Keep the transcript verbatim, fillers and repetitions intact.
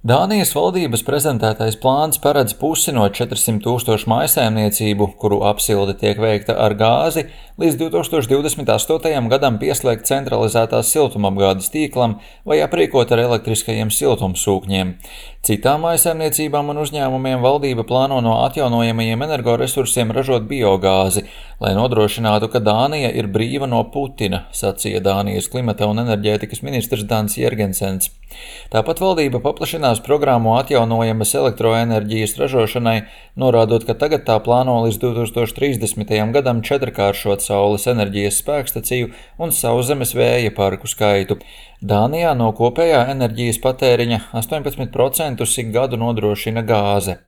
Dānijas valdības prezentētais plāns paredz pusi no četrsimt tūkstošu mājsaimniecību, kuru apsilde tiek veikta ar gāzi, līdz divi tūkstoši divdesmit astotajam gadam pieslēgt centralizētās siltumapgādes tīklam vai aprīkot ar elektriskajiem siltumsūkņiem. Citām mājsaimniecībām un uzņēmumiem valdība plāno no atjaunojamajiem energoresursiem ražot biogāzi, lai nodrošinātu, ka Dānija ir brīva no Putina, sacīja Dānijas klimata un enerģētikas ministrs Dans Jergensens. Tāpat valdība paplašinās programmu atjaunojamas elektroenerģijas ražošanai, norādot, ka tagad tā plāno līdz divi tūkstoši trīsdesmitajam gadam četrkāršot saules enerģijas spēkstaciju un sauszemes vēja parku skaitu. Dānijā no kopējā enerģijas patēriņa astoņpadsmit procentus ik gadu nodrošina gāze.